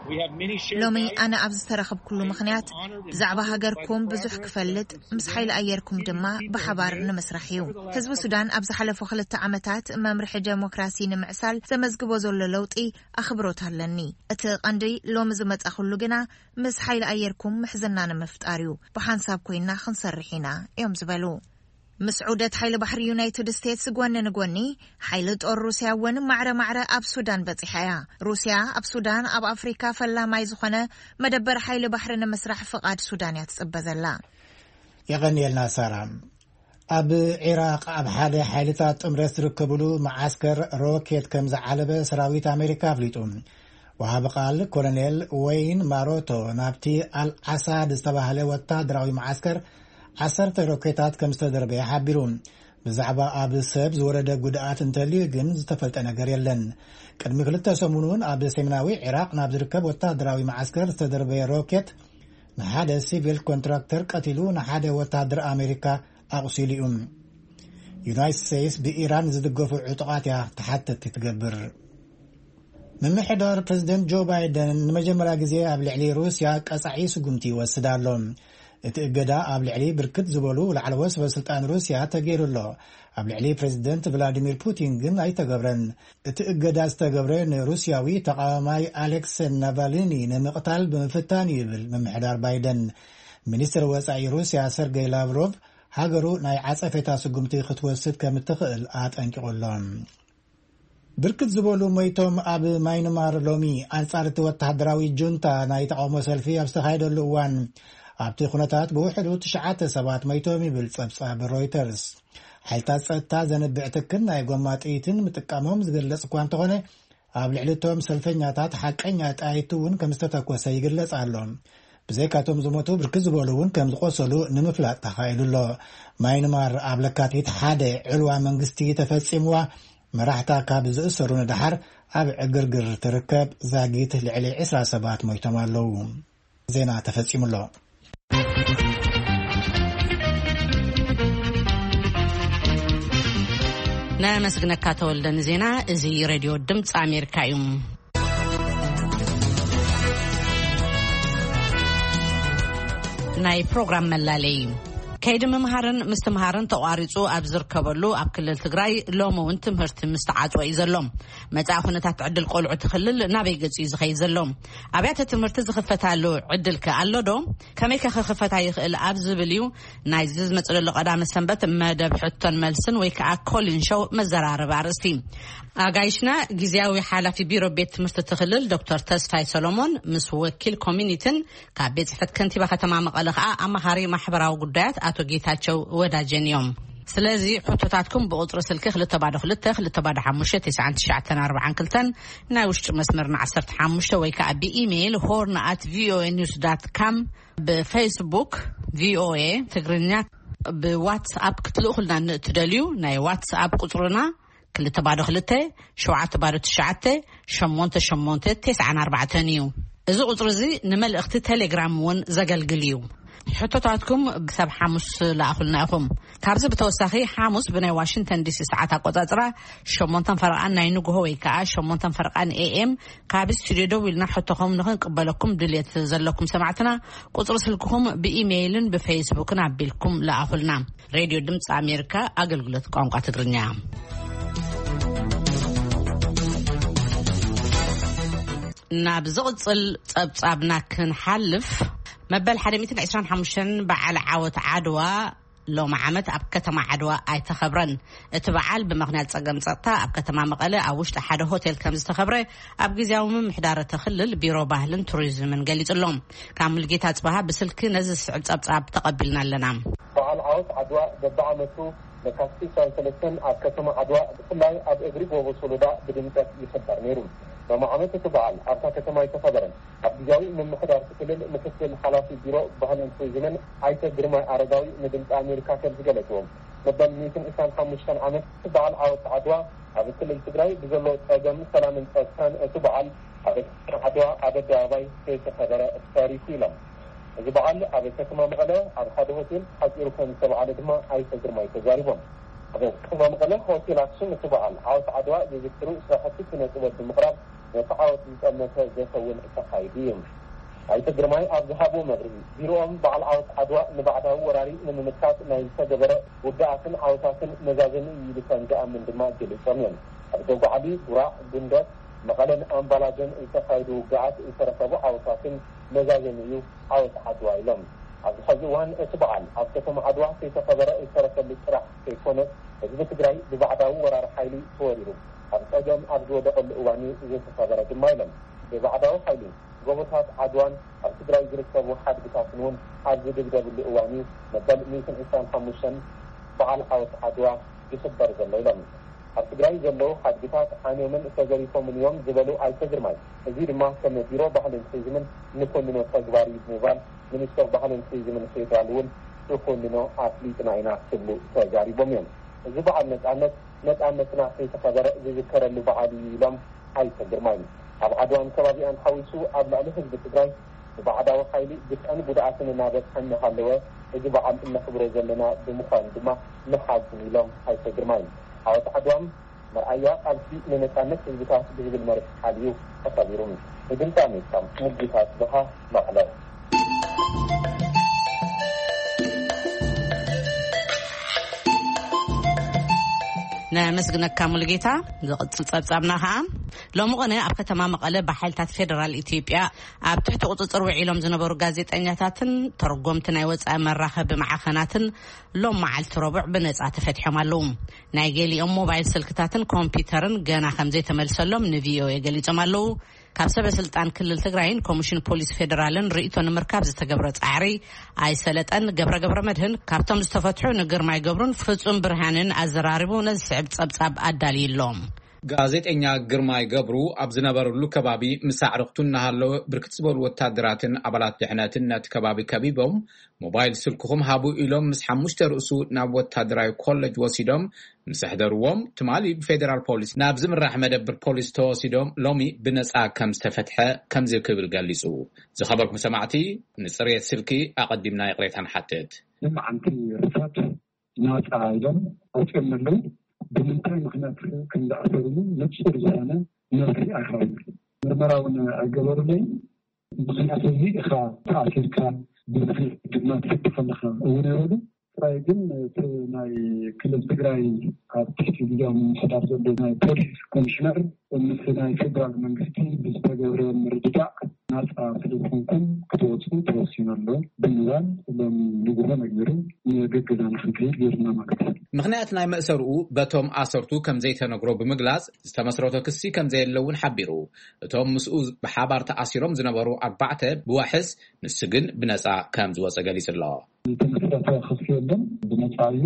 We have many shared ሎሚ values. ኣነ ኣብ ዝተረኸብኩሉ ምኽንያት ብዛዕባ ሃገርኩም ብዙሕ ክፈልጥ፣ ምስ ሓይሊ ኣየርኩም ድማ ብሓባር ንምስራሕ እዩ። ህዝቢ ሱዳን ኣብ ዝሓለፉ ክልተ ዓመታት መምርሒ ዴሞክራሲ ንምዕሳል ዘመዝግቦ ዘሎ ለውጢ ኣኽብሮት ኣለኒ። እቲ ቀንዲ ሎሚ ዝመጻኹሉ ግና ምስ ሓይሊ ኣየርኩም ምሕዝና ንምፍጣር እዩ። ብሓንሳብ ኮይና ክንሰርሕ ኢና እዮም ዝበሉ። ምስ ዑደት ሓይሊ ባሕሪ ዩናይትድ ስቴትስ ጎኒ ንጎኒ፣ ሓይሊ ጦር ሩስያ እውን ማዕረ ማዕረ ኣብ ሱዳን በጺሓ እያ። ሩስያ ኣብ ሱዳን ኣብ ኣፍሪካ ፈላማይ ዝኾነ መደበር ሓይሊ ባሕሪ ንምስራሕ ፍቓድ ሱዳን እያ ትጽበ ዘላ። የቐንየልና ሳራ። ኣብ ዒራቕ ኣብ ሓደ ሓይልታት ጥምረት ዝርከብሉ መዓስከር ሮኬት ከም ዝዓለበ ሰራዊት ኣሜሪካ ኣፍሊጡ። ወሃቢ ቃል ኮሎኔል ወይን ማሮቶ ናብቲ ኣልዓሳድ ዝተባህለ ወታደራዊ መዓስከር ዓሰርተ ሮኬታት ከም ዝተደርበየ ሓቢሩ። ብዛዕባ ኣብ ሰብ ዝወረደ ጉድኣት እንተልዩ ግን ዝተፈልጠ ነገር የለን። ቅድሚ ክልተ ሰሙን እውን ኣብ ሰሜናዊ ዒራቕ ናብ ዝርከብ ወታደራዊ መዓስከር ዝተደርበየ ሮኬት ንሓደ ሲቪል ኮንትራክተር ቀቲሉ፣ ንሓደ ወታደር ኣሜሪካ ኣቑሲሉ እዩ። ዩናይትድ ስቴትስ ብኢራን ዝድገፉ ዕጡቓት እያ ተሓተቲ ትገብር። ምምሕዳር ፕሬዚደንት ጆ ባይደን ንመጀመርያ ግዜ ኣብ ልዕሊ ሩስያ ቀጻዒ ስጉምቲ ይወስድ ኣሎ። እቲ እገዳ ኣብ ልዕሊ ብርክት ዝበሉ ላዕለዎት ሰበስልጣን ሩስያ ተገይሩ ኣሎ። ኣብ ልዕሊ ፕሬዚደንት ቭላዲሚር ፑቲን ግን ኣይተገብረን። እቲ እገዳ ዝተገብረ ንሩስያዊ ተቃዋማይ ኣሌክሰ ናቫልኒ ንምቕታል ብምፍታን እዩ ይብል ምምሕዳር ባይደን። ሚኒስትር ወጻኢ ሩስያ ሰርገይ ላቭሮቭ ሃገሩ ናይ ዓጸፌታ ስጉምቲ ክትወስድ ከም እትኽእል ኣጠንቂቑ ኣሎ። ብርክት ዝበሉ ሞይቶም። ኣብ ማይንማር ሎሚ ኣንጻር እቲ ወተሃደራዊ ጁንታ ናይ ተቓውሞ ሰልፊ ኣብ ዝተኻየደሉ እዋን፣ ኣብቲ ኩነታት ብውሕዱ ትሽዓተ ሰባት ሞይቶም ይብል ጸብጻብ ሮይተርስ። ሓይልታት ጸጥታ ዘንብዕ ትክን ናይ ጎማ ጥይትን ምጥቃሞም ዝገልጽ እኳ እንተኾነ፣ ኣብ ልዕሊ እቶም ሰልፈኛታት ሓቀኛ ጣይቱ እውን ከም ዝተተኮሰ ይግለጽ ኣሎ። ብዘይካቶም ዝሞቱ ብርክት ዝበሉ እውን ከም ዝቆሰሉ ንምፍላጥ ተኻኢሉ ኣሎ። ማይንማር ኣብ ለካቲት ሓደ ዕልዋ መንግስቲ ተፈጺምዋ፣ መራሕታ ካብ ዝእሰሩ ንደሓር ኣብ ዕግርግር ትርከብ ዛጊት ልዕሊ ዕስራ ሰባት ሞይቶም ኣለዉ። ዜና ተፈጺሙ ኣሎ። ነመስግነካ ተወልደ ንዜና። እዚ ሬድዮ ድምፂ ኣሜሪካ እዩ። ናይ ፕሮግራም መላለይ እዩ። ከይዲ ምምሃርን ምስትምሃርን ተቋሪፁ ኣብ ዝርከበሉ ኣብ ክልል ትግራይ ሎሚ እውን ትምህርቲ ምስተዓፅወ እዩ ዘሎ። መፃኢ ኩነታት ዕድል ቆልዑ እቲ ክልል ናበይ ገፂ እዩ ዝኸይድ ዘሎ? ኣብያተ ትምህርቲ ዝኽፈታሉ ዕድል ከ ኣሎ ዶ? ከመይ ከ ክኽፈታ ይኽእል ኣብ ዝብል እዩ ናይዚ ዝመፅእ ዘሎ ቀዳመ ሰንበት መደብ ሕቶን መልስን ወይ ከዓ ኮሊን ሾው መዘራረቢ ኣርእስቲ። ኣጋይሽና ግዜያዊ ሓላፊ ቢሮ ቤት ትምህርቲ እቲ ክልል ዶክተር ተስፋይ ሰሎሞን ምስ ወኪል ኮሚኒቲን ካብ ቤት ጽሕፈት ከንቲባ ከተማ መቐለ ከኣ ኣማኻሪ ማሕበራዊ ጉዳያት ኣቶ ጌታቸው ወዳጀን እዮም። ስለዚ ሕቶታትኩም ብቁጽሪ ስልኪ ክልተ ባዶ ክልተ ክልተ ባዶ ሓሙሽተ ትሽዓን ትሽዓተን ኣርባዓን ክልተን፣ ናይ ውሽጢ መስመርና ዓሰርተ ሓሙሽተ ወይ ከኣ ብኢሜይል ሆርን ኣት ቪኦኤ ኒውስ ዳት ካም፣ ብፌስቡክ ቪኦኤ ትግርኛ፣ ብዋትስኣፕ ክትልእኹልና ንእትደልዩ ናይ ዋትስኣፕ ቁጽርና ክልተ ባዶ ክልተ ሸውዓተ ባዶ ትሽዓተ ሸሞንተ ሸሞንተ ተስዓን ኣርባዕተን እዩ። እዚ ቁጽሪ እዚ ንመልእኽቲ ቴሌግራም እውን ዘገልግል እዩ። ሕቶታትኩም ክሳብ ሓሙስ ለኣኹልና ኢኹም። ካብዚ ብተወሳኺ ሓሙስ ብናይ ዋሽንግተን ዲሲ ሰዓት ኣቆጻጽራ ሸሞንተን ፈረቓን ናይ ንግሆ ወይ ከኣ ሸሞንተን ፈረቓን ኤኤም ካብ ስቱድዮ ደዊልና ሕቶኹም ንኽንቅበለኩም ድልየት ዘለኩም ሰማዕትና ቁጽሪ ስልክኹም ብኢሜይልን ብፌስቡክን ኣቢልኩም ለኣኹልና። ሬድዮ ድምፂ ኣሜሪካ ኣገልግሎት ቋንቋ ትግርኛ። ናብ ዝቕጽል ጸብጻብና ክንሓልፍ፣ መበል ሓደ ሚእትን ዕስራን ሓሙሽተን በዓል ዓወት ዓድዋ ሎም ዓመት ኣብ ከተማ ዓድዋ ኣይተኸብረን። እቲ በዓል ብምኽንያት ጸገም ጸጥታ ኣብ ከተማ መቐለ ኣብ ውሽጢ ሓደ ሆቴል ከም ዝተኸብረ ኣብ ግዜያዊ ምምሕዳር እቲ ክልል ቢሮ ባህልን ቱሪዝምን ገሊጹ ኣሎ። ካብ ሙልጌታ ጽባሃ ብስልኪ ነዚ ዝስዕብ ጸብጻብ ተቐቢልና ኣለና። በዓል ዓወት ዓድዋ በብዓመቱ ለካቲት ዕስራን ሰለስተን ኣብ ከተማ ዓድዋ ብፍላይ ኣብ እግሪ ጎቦ ሶሎዳ ብድምቀት ይኽበር ነይሩ። ሎም ዓመት እቲ በዓል ኣብታ ከተማ ኣይተኸበረን። ኣብ ግዜያዊ ምምሕዳር እቲ ክልል ምክትል ሓላፊ ቢሮ ባህልን ቱሪዝምን ኣይተ ግርማይ ኣረጋዊ ንድምፂ ኣሜሪካ ከም ዝገለፅዎ፣ መበል ሚእትን ዕስራን ሓሙሽተን ዓመት በዓል ዓወት ዓድዋ ኣብ ክልል ትግራይ ብዘሎ ፀገም ሰላምን ፀጥታን እቲ በዓል ኣብ ዓድዋ ኣብ ኣደባባይ ከይተኸበረ ተሪፉ ኢሎም። እዚ በዓል ኣብ ከተማ መቐለ ኣብ ሓደ ሆቴል ሓፂሩ ከም ዝተበዓለ ድማ ኣይተ ግርማይ ተዛሪቦም። ኣብ ከተማ መቐለ ሆቴል ኣክሱም እቲ በዓል ዓወት ዓድዋ ዝዝክሩ ስራሕቲ ስነ ጥበብ ብምቕራብ ነቲ ዓወት ዝጠመተ ዘተ እውን ተኻይዱ እዩ። ኣይተ ግርማይ ኣብ ዝሃብዎ መብርሂ፣ ቢሮኦም በዓል ዓወት ዓድዋ ንባዕዳዊ ወራሪ ንምምካት ናይ ዝተገበረ ውግኣትን ዓወታትን መዛዘሚ እዩ ኢሉ ከም ዝኣምን ድማ ገሊጾም እዮም። ኣብ ደጉዓሊ፣ ጉራዕ፣ ጉንደት፣ መቐለን ኣምባላጀን ዝተኻየዱ ውግኣት ዝተረኸቡ ዓወታትን መዛዘሚ እዩ ዓወት ዓድዋ ኢሎም። ኣብዚ ሐዚ እዋን እቲ በዓል ኣብ ከተማ ዓድዋ ከይተኸበረ ዝተረፈሉ ጥራሕ ከይኮነስ ህዝቢ ትግራይ ብባዕዳዊ ወራሪ ሓይሊ ተወሪሩ ኣብ ፀገም ኣብ ዝወደቐሉ እዋን እዩ ዝተኸበረ ድማ ኢሎም። ብባዕዳዊ ሓይሊ ጎቦታት ዓድዋን ኣብ ትግራይ ዝርከቡ ሓድግታትን እውን ኣብ ዝድብደብሉ እዋን እዩ መበል ሚእትን ዕስራን ሓሙሽተን በዓል ዓወት ዓድዋ ይኽበር ዘሎ ኢሎም። ኣብ ትግራይ ዘለዉ ሓድግታት ዓንዮምን ተዘሪፎምን እዮም ዝበሉ ኣይተ ግርማይ፣ እዚ ድማ ከም ቢሮ ባህልን ቱሪዝምን ንኮንኖ ተግባር እዩ ብምባል፣ ሚኒስተር ባህልን ቱሪዝምን ፌዴራል እውን ንኮንኖ ኣፍሊጥና ኢና ክብሉ ተዛሪቦም እዮም። እዚ በዓል ነፃነት ነፃነትና ከይተኸበረ ዝዝከረሉ በዓል እዩ ኢሎም ኣይተ ግርማይ፣ ኣብ ዓድዋን ከባቢኣን ሓዊሱ ኣብ ልዕሊ ህዝቢ ትግራይ ብባዕዳዊ ሓይሊ ግፍዕን ጉድኣትን እናበፅሐ እናሃለወ እዚ በዓል እነኽብሮ ዘለና ብምዃኑ ድማ ንሓዝን ኢሎም ኣይተ ግርማይ። ዓወት ዓድዋም መርኣያ ቃልሲ ንነፃነት ህዝብታት ብዝብል መሪሕ ቃል እዩ ተኸቢሩ። ንድምፂ ኣሜሪካ ሙልጌታ ጽብሃ መቐለ። ነመስግነካ ሙሉጌታ። ዝቕጽል ጸብጻብና ኸኣ፣ ሎሚ ቕነ ኣብ ከተማ መቐለ ብሓይልታት ፌደራል ኢትዮጵያ ኣብ ትሕቲ ቁጽጽር ውዒሎም ዝነበሩ ጋዜጠኛታትን ተርጎምቲ ናይ ወጻኢ መራኸቢ ማዕኸናትን ሎም መዓልቲ ረቡዕ ብነጻ ተፈትሖም ኣለዉ። ናይ ገሊኦም ሞባይል ስልክታትን ኮምፒውተርን ገና ከም ዘይተመልሰሎም ንቪኦኤ ገሊጾም ኣለዉ። ካብ ሰበ ስልጣን ክልል ትግራይን ኮሚሽን ፖሊስ ፌደራልን ርእይቶ ንምርካብ ዝተገብረ ጻዕሪ ኣይሰለጠን። ገብረ ገብረ መድህን ካብቶም ዝተፈትሑ ንግርማይ ገብሩን ፍጹም ብርሃንን ኣዘራሪቡ ነዚ ስዕብ ጸብጻብ ኣዳልዩ ኣሎ። ጋዜጠኛ ግርማይ ገብሩ ኣብ ዝነበረሉ ከባቢ ምስ ኣዕርኽቱ እናሃለወ ብርክት ዝበሉ ወታደራትን ኣባላት ድሕነትን ነቲ ከባቢ ከቢቦም ሞባይል ስልክኹም ሃቡ ኢሎም ምስ ሓሙሽተ ርእሱ ናብ ወታደራዊ ኮለጅ ወሲዶም ምስ ኣሕደርዎም፣ ትማሊ ብፌደራል ፖሊስ ናብ ዝምራሕ መደብር ፖሊስ ተወሲዶም ሎሚ ብነጻ ከም ዝተፈትሐ ከምዚ ክብል ገሊጹ። ዝኸበርኩም ሰማዕቲ፣ ንጽሬት ስልኪ ኣቐዲምና ይቕሬታ ንሓትት። ንመዓልቲ ርሳት ናጻ ኢሎም ኣውጺኦም ኣለዉ። ብምንታይ ምኽንያት ከም ዝኣሰሩሉ ንጹር ዝኾነ መልሲ ኣይሃቡን። ምርመራ እውን ኣይገበሩለይን። ምኽንያት እዚ ኢኻ ተኣሲርካ፣ ብምኽንያት ድማ ትፍትሕ ኣለኻ እውን ኣይበሉ። ጥራይ ግን እቲ ናይ ክልል ትግራይ ኣብ ትሕቲ ግዜያዊ ምምሕዳር ዘሎ ናይ ፖሊስ ኮሚሽነር ምስ ናይ ፌደራል መንግስቲ ብዝተገብረ ምርድዳእ ናፃ ስለዝኾንኩም ክትወፁ ተወሲኑ ኣሎ ብምባል ሎም ንጉሆ ነጊሩ ንገገዛና ክንከይድ ገይሩና ማለት እዩ። ምኽንያት ናይ መእሰርኡ በቶም ኣሰርቱ ከም ዘይተነግሮ ብምግላጽ ዝተመስረቶ ክሲ ከም ዘየለ እውን ሓቢሩ። እቶም ምስኡ ብሓባር ተኣሲሮም ዝነበሩ ኣርባዕተ ብዋሕስ ንሱ ግን ብነጻ ከም ዝወጸ ገሊጹ ኣሎ። ዝተመስረተ ክሲ የለን፣ ብነጻ እዩ።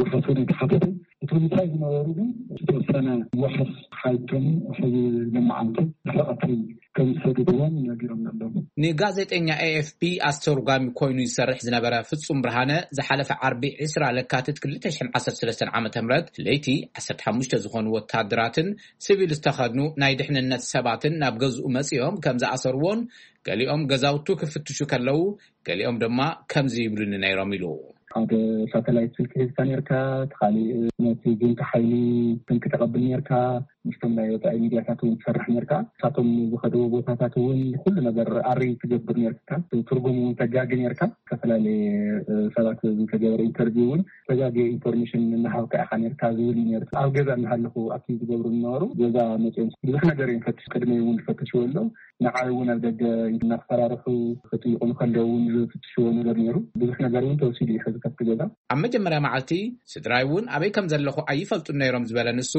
ውሕስ እውን የተሓተተ። እቶም ምሳይ ዝነበሩ ግን ዝተወሰነ ውሕስ ሓይቶም ሕዚ ለመዓልቲ ድሕሪ ቀትሪ ከም ዝሰደድዎም ነጊሮም ኣለዉ። ንጋዜጠኛ ኤኤፍፒ ኣስተርጓሚ ኮይኑ ዝሰርሕ ዝነበረ ፍጹም ብርሃነ ዝሓለፈ ዓርቢ ዕስራ ለካቲት ክልተ ሽሕን ዓሰርተ ሰለስተን ዓመተ ምህረት ለይቲ ዓሰርተ ሓሙሽተ ዝኾኑ ወታደራትን ሲቪል ዝተኸድኑ ናይ ድሕንነት ሰባትን ናብ ገዝኡ መጺኦም ከም ዝኣሰርዎን ገሊኦም ገዛውቱ ክፍትሹ ከለዉ ገሊኦም ድማ ከምዚ ይብሉኒ ነይሮም ኢሉ። ሓደ ሳተላይት ስልኪ ሒዝካ ነርካ፣ እቲ ካሊእ ነቲ ጁንታ ሓይሊ ስልኪ ተቐብል ነርካ፣ ምስቶም ናይ ወፃኢ ሚድያታት እውን ትሰርሕ ነርካ። ንሳቶም ዝኸድዎ ቦታታት እውን ኩሉ ነገር ኣሪ ትገብር ነርካ፣ ትርጉም እውን ተጋጊ ነርካ። ዝተፈላለየ ሰባት ዝተገበረ ኢንተርቪው እውን ተጋጊ ኢንፎርሜሽን እናሃብካ ኢኻ ነርካ ዝብል እዩ ነርካ። ኣብ ገዛ እናሃለኹ ኣብቲ ዝገብሩ ዝነበሩ ገዛ መፅኦም ብዙሕ ነገር እዮም ፈትሽ ቅድመ እውን ዝፈተሽዎ ኣለዉ። ንዓይ እውን ኣብ ደገ እናፈራርሑ ክጥይቁ ከለዉ እውን ዝፍትሽዎ ነገር ነይሩ። ብዙሕ ነገር እውን ተወሲዱ እዩ ሕዚ ከፍቲ ገዛ። ኣብ መጀመርያ መዓልቲ ስድራይ እውን ኣበይ ከም ዘለኹ ኣይፈልጡን ነይሮም ዝበለ ንሱ፣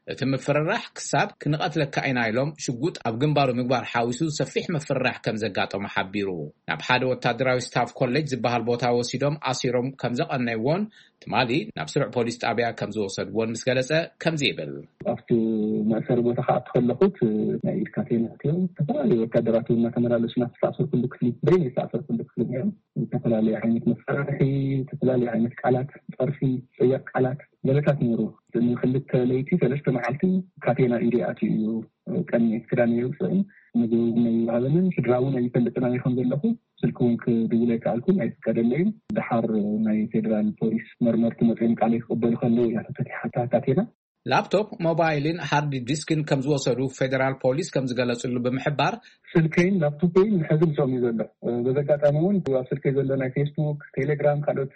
እቲ ምፍርራሕ ክሳብ ክንቐትለካ ኢና ኢሎም ሽጉጥ ኣብ ግንባሩ ምግባር ሓዊሱ ሰፊሕ ምፍርራሕ ከም ዘጋጠሞ ሓቢሩ። ናብ ሓደ ወታደራዊ ስታፍ ኮሌጅ ዝበሃል ቦታ ወሲዶም ኣሲሮም ከም ዘቐነይዎን ትማሊ ናብ ስሩዕ ፖሊስ ጣብያ ከም ዝወሰድዎን ምስ ገለጸ ከምዚ ይብል። ኣብቲ መእሰሪ ቦታ ከዓ እትኸለኹት ናይ ኢድ ካቴና እዮም። ዝተፈላለዩ ወታደራት እውን እናተመላለሱ ናብ ዝተኣሰርኩሉ ክፍሊ በይን ዝተኣሰርኩሉ ክፍሊ እዮም። ዝተፈላለዩ ዓይነት መፈራርሒ፣ ዝተፈላለዩ ዓይነት ቃላት፣ ፀርፊ፣ ፀያፍ ቃላት ገለታት ነይሩ። ንክልተ ለይቲ ሰለስተ መዓልቲ ካቴና ኢደ ኣትዩ እዩ። ቀኒ ክዳን የውፅእን ምግቢ እውን ኣይወሃበንን። ስድራ እውን ኣይፈልጥን ኣበይ ከም ዘለኹ። ስልኪ እውን ክድውል ኣይከኣልኩን፣ ኣይፍቀደለይን። ደሓር ናይ ፌደራል ፖሊስ መርመርቲ መፅኦም ቃለይ ክቕበሉ ከለዉ እያ ተፈቲሓታ ካቴና። ላፕቶፕ፣ ሞባይልን ሃርድ ዲስክን ከም ዝወሰዱ ፌደራል ፖሊስ ከም ዝገለጽሉ ብምሕባር፣ ስልከይን ላፕቶፐይን ንሕዚ ምሳኦም እዩ ዘሎ። በዚ ኣጋጣሚ እውን ኣብ ስልከይ ዘሎ ናይ ፌስቡክ፣ ቴሌግራም፣ ካልኦት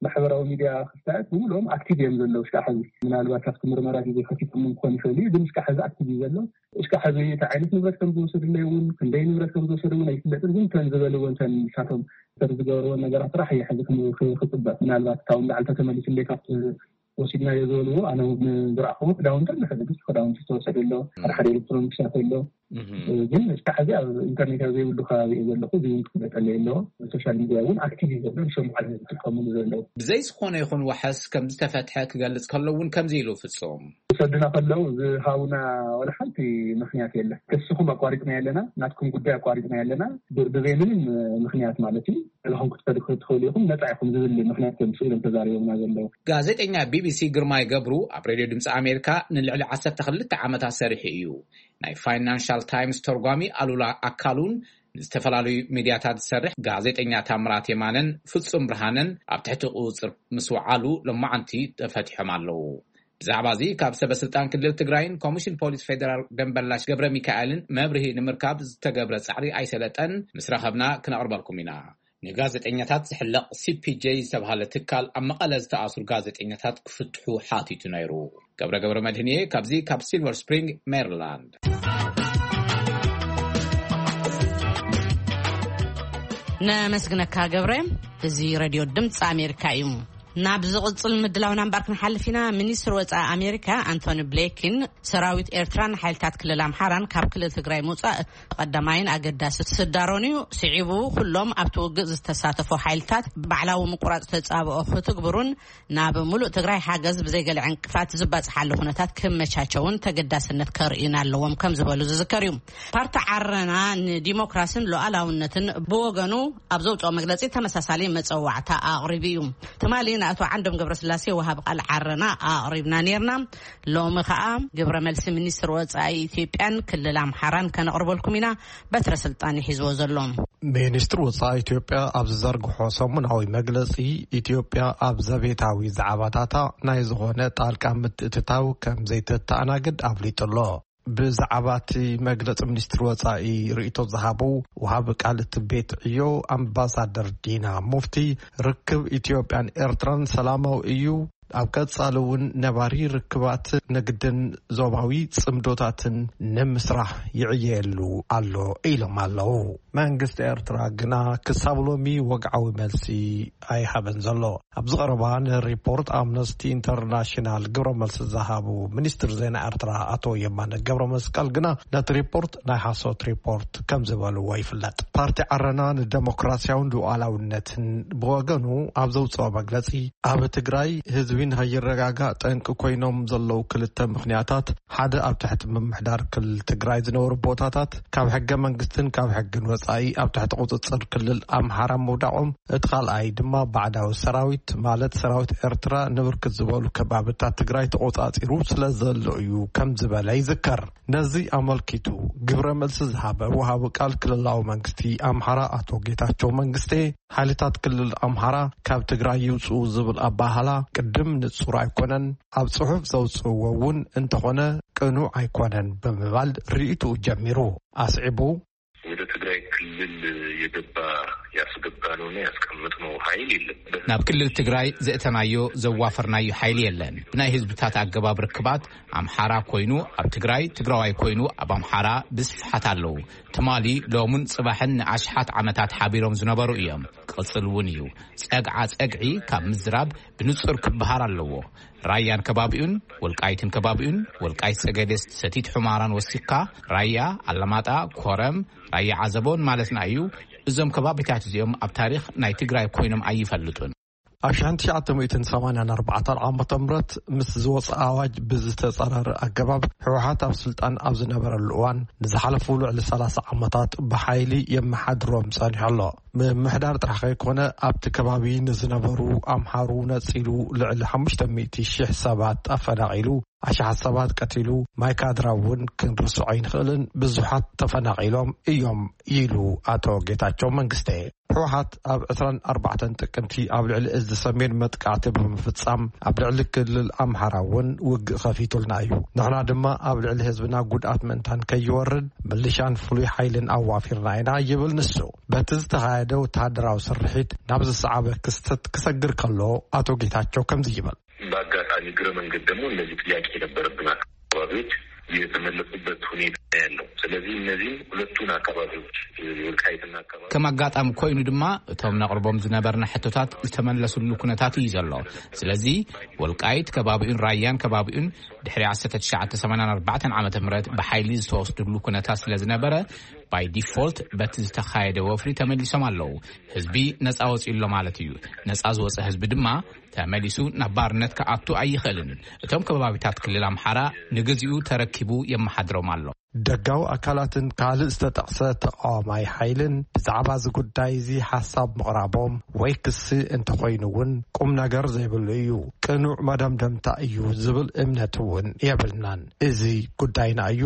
ማሕበራዊ ሚድያ ክስታያት ብምልኦም ኣክቲቭ እዮም ዘለዉ። እስካዕ ሕዚ ምናልባት ኣብቲ ምርመራ ግዜ ከፊቶም ክኾን ይኽእል እዩ፣ ግን እስካዕ ሕዚ ኣክቲቭ እዩ ዘሎ። እስካዕ ሕዚ እንታይ ዓይነት ንብረት ከም ዝወሰድለይ እውን፣ ክንደይ ንብረት ከም ዝወሰዱ እውን ኣይፍለጥን። ግን እተን ዝበልዎ፣ እተን ንሳቶም ሰር ዝገበርዎ ነገራት ጥራሕ እየ ሕዚ ክም-፣ ክ-፣ ክፅበ። ምናልባት ካብኡ ንላዕሊ ተተመሊሱለይ ካብቲ ወሲድናዮ ዝበልዎ፣ ኣነ እውን ዝረኣኽዎ ክዳውንቲ ኣሎ። ሕዚ ብዙሕ ክዳውንቲ ዝተወሰደ ኣሎ፣ ሓደ ሓደ ኤሌክትሮኒክሳት ኣሎ። እህ። ግን እስካዕ ሕዚ ኣብ ኢንተርኔት ኣብ ዘይብሉ ከባቢ እየ ዘለኹ። እዚ እውን ክፍለጠለይ ኣለዎ። ሶሻል ሚድያ እውን ኣክቲቭ እዩ ዘሎ፣ ንሸምዓል ዝጥቀምሉ ዘለዉ። ብዘይ ዝኾነ ይኹን ዋሕስ ከም ዝተፈትሐ ክገልጽ ከሎ እውን ከምዚ ኢሉ ፍጹም። ክሰዱና ከለዉ ዝሃቡና ዋላ ሓንቲ ምኽንያት የለን። ክስኹም ኣቋሪጽና ኣለና፣ ናትኩም ጉዳይ ኣቋሪጽና ኣለና፣ ብ-፣ ብዘይ ምንም ምኽንያት ማለት እዩ። ገለኹም ክትከዱ ክትኽእሉ ኢኹም፣ ነጻ ኢኹም ዝብል ምኽንያት እዮም ስኢሎም ተዛሪቦምና ዘለዉ። ጋዜጠኛ ቢቢሲ ግርማይ ገብሩ ኣብ ሬድዮ ድምፂ ኣሜሪካ ንልዕሊ ዓሰርተ ክልተ ዓመታት ሰሪሑ እዩ። ናይ ፋይናንሻል ታይምስ ተርጓሚ ኣሉላ ኣካሉን ንዝተፈላለዩ ሚድያታት ዝሰርሕ ጋዜጠኛ ታምራት የማነን ፍጹም ብርሃነን ኣብ ትሕቲ ቁጽጽር ምስ ወዓሉ ሎማዓንቲ ተፈቲሖም ኣለዉ። ብዛዕባ እዚ ካብ ሰበ ስልጣን ክልል ትግራይን ኮሚሽን ፖሊስ ፌደራል ደንበላሽ ገብረ ሚካኤልን መብርሂ ንምርካብ ዝተገብረ ጻዕሪ ኣይሰለጠን። ምስ ረኸብና ክነቕርበልኩም ኢና። ንጋዜጠኛታት ዝሕለቕ ሲፒጄ ዝተባህለ ትካል ኣብ መቐለ ዝተኣስሩ ጋዜጠኛታት ክፍትሑ ሓቲቱ ነይሩ። ገብረ ገብረ መድህንየ ካብዚ ካብ ሲልቨር ስፕሪንግ ሜሪላንድ። ነመስግነካ ገብረ። እዚ ሬድዮ ድምፂ ኣሜሪካ እዩ። ናብ ዝቕጽል ምድላውና እምበር ክንሓልፍ ኢና። ሚኒስትር ወጻኢ ኣሜሪካ ኣንቶኒ ብሌኪን ሰራዊት ኤርትራን ሓይልታት ክልል ኣምሓራን ካብ ክልል ትግራይ ምውጻእ ቀዳማይን ኣገዳሲ ስዳሮን እዩ። ስዒቡ ኩሎም ኣብቲ ውግእ ዝተሳተፉ ሓይልታት ባዕላዊ ምቁራጽ ተጻብኦ ክትግብሩን ናብ ሙሉእ ትግራይ ሓገዝ ብዘይገለ ዕንቅፋት ዝባጽሓሉ ኩነታት ክመቻቸውን ተገዳስነት ከርእዩን ኣለዎም ከም ዝበሉ ዝዝከር እዩ። ፓርቲ ዓረና ንዲሞክራስን ሉዓላውነትን ብወገኑ ኣብ ዘውፅኦ መግለፂ ተመሳሳሊ መፀዋዕታ ኣቕሪቡ እዩ። ትማሊ ንኣቶ ዓንዶም ገብረስላሴ ወሃብ ቃል ዓረና ኣቕሪብና ነይርና። ሎሚ ከዓ ግብረ መልሲ ሚኒስትር ወፃኢ ኢትዮጵያን ክልል ኣምሓራን ከነቕርበልኩም ኢና። በትረ ስልጣን ይሒዝዎ ዘሎ። ሚኒስትር ወፃኢ ኢትዮጵያ ኣብ ዝዘርግሖ ሰሙናዊ መግለፂ፣ ኢትዮጵያ ኣብ ዘቤታዊ ዛዕባታታ ናይ ዝኾነ ጣልቃ ምትእትታው ከም ዘይተተኣናግድ ኣፍሊጡ ኣሎ። ብዛዕባ እቲ መግለጺ ሚኒስትሪ ወጻኢ ርእይቶ ዝሃቡ ወሃቢ ቃል እቲ ቤት ዕዮ ኣምባሳደር ዲና ሙፍቲ፣ ርክብ ኢትዮጵያን ኤርትራን ሰላማዊ እዩ፣ ኣብ ቀጻሊ እውን ነባሪ ርክባት ንግድን ዞባዊ ጽምዶታትን ንምስራሕ ይዕየሉ ኣሎ ኢሎም ኣለዉ። መንግስቲ ኤርትራ ግና ክሳብ ሎሚ ወግዓዊ መልሲ ኣይሃበን ዘሎ። ኣብዚ ቀረባ ንሪፖርት ኣምነስቲ ኢንተርናሽናል ግብረ መልሲ ዝሃቡ ሚኒስትር ዜና ኤርትራ ኣቶ የማነ ገብረ መስቀል ግና ነቲ ሪፖርት ናይ ሓሶት ሪፖርት ከም ዝበልዎ ይፍለጥ። ፓርቲ ዓረና ንደሞክራሲያውን ሉዓላውነትን ብወገኑ ኣብ ዘውፅኦ መግለፂ፣ ኣብ ትግራይ ህዝቢ ንኸይረጋጋእ ጠንቂ ኮይኖም ዘለዉ ክልተ ምኽንያታት፣ ሓደ ኣብ ትሕቲ ምምሕዳር ክልል ትግራይ ዝነበሩ ቦታታት ካብ ሕገ መንግስትን ካብ ሕግን ወፃኢ ኣብ ትሕቲ ቁፅፅር ክልል ኣምሓራ ምውዳቖም፣ እቲ ካልኣይ ድማ ባዕዳዊ ሰራዊት ማለት ሰራዊት ኤርትራ ንብርክት ዝበሉ ከባብታት ትግራይ ተቆፃፂሩ ስለ ዘሎ እዩ ከም ዝበለ ይዝከር። ነዚ ኣመልኪቱ ግብረ መልሲ ዝሃበ ወሃቢ ቃል ክልላዊ መንግስቲ ኣምሓራ ኣቶ ጌታቸው መንግስቴ፣ ሓይልታት ክልል ኣምሓራ ካብ ትግራይ ይውፅኡ ዝብል ኣባህላ ቅድም ንጹር ኣይኮነን፣ ኣብ ጽሑፍ ዘውፅእዎ እውን እንተኾነ ቅኑዕ ኣይኮነን ብምባል ርእይትኡ ጀሚሩ። ኣስዒቡ፣ ወደ ትግራይ ክልል የገባ ያስገባነውና ያስቀመጥነው ኃይል የለም። ናብ ክልል ትግራይ ዘእተናዮ ዘዋፈርናዮ ሓይሊ የለን። ብናይ ህዝብታት ኣገባብ ርክባት ኣምሓራ ኮይኑ ኣብ ትግራይ፣ ትግራዋይ ኮይኑ ኣብ ኣምሓራ ብስፍሓት ኣለዉ። ትማሊ፣ ሎምን ጽባሕን ንኣሽሓት ዓመታት ሓቢሮም ዝነበሩ እዮም። ክቕጽል እውን እዩ። ጸግዓ ጸግዒ ካብ ምዝራብ ብንጹር ክበሃል ኣለዎ። ራያን ከባቢኡን፣ ወልቃይትን ከባቢኡን፣ ወልቃይት ጸገዴ፣ ሰቲት ሑመራን ወሲኽካ፣ ራያ፣ ኣላማጣ፣ ኮረም፣ ራያ ዓዘቦን ማለትና እዩ። እዞም ከባቢታት እዚኦም ኣብ ታሪኽ ናይ ትግራይ ኮይኖም ኣይፈልጡን። ኣብ ሺሕ ትሽዓተ ሚእትን ሰማንያን ኣርባዕተን ዓመተ ምህረት ምስ ዝወፀ ኣዋጅ ብዝተፃረረ ኣገባብ ህወሓት ኣብ ስልጣን ኣብ ዝነበረሉ እዋን ንዝሓለፉ ልዕሊ ሰላሳ ዓመታት ብሓይሊ የመሓድሮም ፀኒሑ ኣሎ። ምምሕዳር ጥራሕ ከይኮነ ኣብቲ ከባቢ ንዝነበሩ ኣምሓሩ ነፂሉ ልዕሊ ሓሙሽተ ሚእቲ ሺሕ ሰባት ኣፈናቒሉ፣ ኣሽሓት ሰባት ቀቲሉ፣ ማይ ካድራ እውን ክንርስዖ ኣይንኽእልን፣ ብዙሓት ተፈናቒሎም እዮም ኢሉ ኣቶ ጌታቸው መንግስተ። ህወሓት ኣብ ዕስራን ኣርባዕተን ጥቅምቲ ኣብ ልዕሊ እዚ ሰሜን መጥቃዕቲ ብምፍጻም ኣብ ልዕሊ ክልል ኣምሓራ እውን ውግእ ከፊቱልና እዩ። ንሕና ድማ ኣብ ልዕሊ ህዝብና ጉድኣት ምእንታን ከይወርድ ምልሻን ፍሉይ ሓይልን ኣዋፊርና ኢና ይብል ንሱ። በቲ ዝተኻየደ ወተሃደራዊ ስርሒት ናብ ዝሰዓበ ክስተት ክሰግር ከሎ ኣቶ ጌታቸው ከምዚ ይብል። በአጋጣሚ እግረ መንገድ ደግሞ እነዚህ ጥያቄ የነበረብን አካባቢዎች የተመለሱበት ሁኔታ ያለው። ስለዚህ እነዚህም ሁለቱን አካባቢዎች፣ የወልቃይትና አካባቢ ከም ኣጋጣሚ ኮይኑ ድማ እቶም ነቕርቦም ዝነበርና ሕቶታት ዝተመለሱሉ ኩነታት እዩ ዘሎ። ስለዚ ወልቃይት ከባቢኡን ራያን ከባቢኡን ድሕሪ ዓሰርተ ትሽዓተ ሰማንያን ኣርባዕተን ዓመተ ምህረት ብሓይሊ ዝተወስድሉ ኩነታት ስለ ዝነበረ፣ ባይ ዲፎልት በቲ ዝተኻየደ ወፍሪ ተመሊሶም ኣለዉ። ህዝቢ ነፃ ወፂኡ ኣሎ ማለት እዩ። ነፃ ዝወፀ ህዝቢ ድማ ተመሊሱ ናብ ባርነት ክኣቱ ኣይኽእልን። እቶም ከባቢታት ክልል ኣምሓራ ንግዚኡ ተረኪቡ የመሓድሮም ኣሎ። ደጋዊ ኣካላትን ካልእ ዝተጠቕሰ ተቃዋማይ ሓይልን ብዛዕባ እዚ ጉዳይ እዚ ሓሳብ ምቕራቦም ወይ ክሲ እንተኾይኑ እውን ቁም ነገር ዘይብሉ እዩ፣ ቅኑዕ መደምደምታ እዩ ዝብል እምነት እውን የብልናን። እዚ ጉዳይና እዩ፣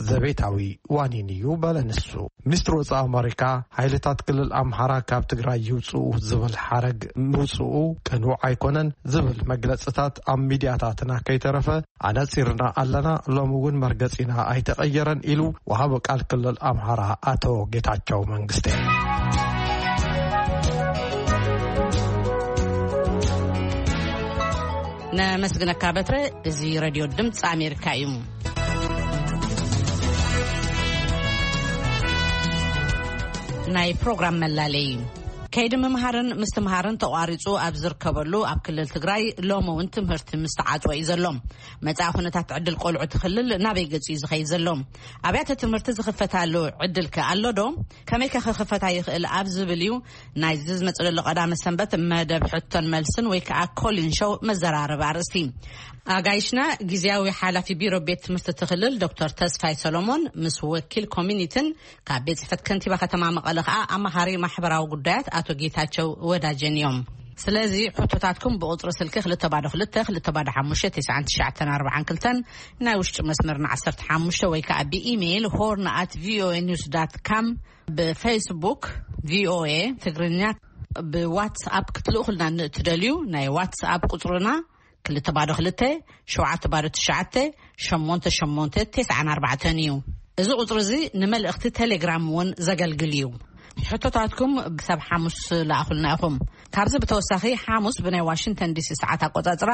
ዘቤታዊ ዋኒን እዩ በለ ንሱ። ሚኒስትሪ ወጻኢ ኣመሪካ ሓይልታት ክልል ኣምሓራ ካብ ትግራይ ይውጽኡ ዝብል ሓረግ ምውጽኡ ቅኑዕ ኣይኮነን ዝብል መግለጽታት ኣብ ሚድያታትና ከይተረፈ ኣነጺርና ኣለና። ሎሚ እውን መርገጺና ኣይተቐየረን ኢሉ ወሃቢ ቃል ክልል ኣምሓራ ኣቶ ጌታቸው መንግስቴ። ነመስግነካ በትረ። እዚ ሬድዮ ድምፂ ኣሜሪካ እዩ። ናይ ፕሮግራም መላለይ። ከይዲ ምምሃርን ምስትምሃርን ተቋሪፁ ኣብ ዝርከበሉ ኣብ ክልል ትግራይ ሎሚ እውን ትምህርቲ ምስተዓፅወ እዩ ዘሎ። መፃኢ ኩነታት ዕድል ቆልዑ እቲ ክልል ናበይ ገፂ እዩ ዝኸይድ ዘሎ? ኣብያተ ትምህርቲ ዝኽፈታሉ ዕድል ከ ኣሎ ዶ? ከመይ ከ ክኽፈታ ይኽእል ኣብ ዝብል እዩ ናይዚ ዝመፅእ ዘሎ ቀዳመ ሰንበት መደብ ሕቶን መልስን ወይ ከዓ ኮሊን ሾው መዘራረቢ ኣርእስቲ። ኣጋይሽና ግዜያዊ ሓላፊ ቢሮ ቤት ትምህርቲ እቲ ክልል ዶክተር ተስፋይ ሰሎሞን ምስ ወኪል ኮሚኒትን ካብ ቤት ጽሕፈት ከንቲባ ከተማ መቐለ ከዓ ኣማኻሪ ማሕበራዊ ጉዳያት ኣቶ ጌታቸው ወዳጀን እዮም። ስለዚ ሕቶታትኩም ብቁጽሪ ስልኪ ክልተ ባዶ ክልተ ክልተ ባዶ ሓሙሽተ ተስዓን ትሽዓተን ኣርባዓን ክልተን፣ ናይ ውሽጢ መስመርና ዓሰርተ ሓሙሽተ ወይ ከዓ ብኢሜይል ሆርን ኣት ቪኦኤ ኒውስ ዳት ካም፣ ብፌስቡክ ቪኦኤ ትግርኛ፣ ብዋትስኣፕ ክትልእኹልና ንእትደልዩ ናይ ዋትስኣፕ ቁጽርና ክልተ ባዶ ክልተ፣ ሸውዓተ ባዶ ትሽዓተ፣ ሸሞንተ ሸሞንተ፣ ተስዓን ኣርባዕተን እዩ። እዚ ቁጽሪ እዚ ንመልእኽቲ ቴሌግራም እውን ዘገልግል እዩ። ሕቶታትኩም ክሳብ ሓሙስ ለኣኹልና ኢኹም። ካብዚ ብተወሳኺ፣ ሓሙስ ብናይ ዋሽንግተን ዲሲ ሰዓት ኣቆጻጽራ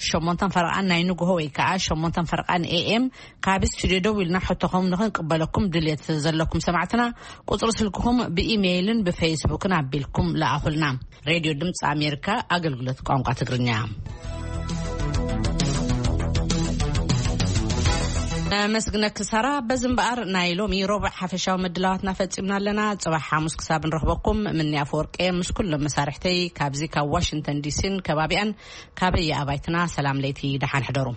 ሸሞንተን ፈረቓን ናይ ንግሆ ወይ ከዓ ሸሞንተን ፈረቓን ኤ ኤም፣ ካብ ስቱዲዮ ደው ኢልና ሕቶኹም ንኽንቅበለኩም ድልየት ዘለኩም ሰማዕትና፣ ቁጽሪ ስልክኹም ብኢሜይልን ብፌስቡክን ኣቢልኩም ለኣኹልና። ሬድዮ ድምፂ ኣሜሪካ፣ ኣገልግሎት ቋንቋ ትግርኛ። መስግነኪ ሳራ። በዚ እምበኣር፣ ናይ ሎሚ ረቡዕ ሓፈሻዊ ምድላዋትና ፈጺምና ኣለና። ጽባሕ ሓሙስ ክሳብ ንረኽበኩም፣ ምንያ ኣፈወርቂ ምስ ኩሎም መሳርሕተይ ካብዚ ካብ ዋሽንግተን ዲሲን ከባቢኣን፣ ካበየ ኣባይትና፣ ሰላም ለይቲ፣ ደሓን ሕደሩ።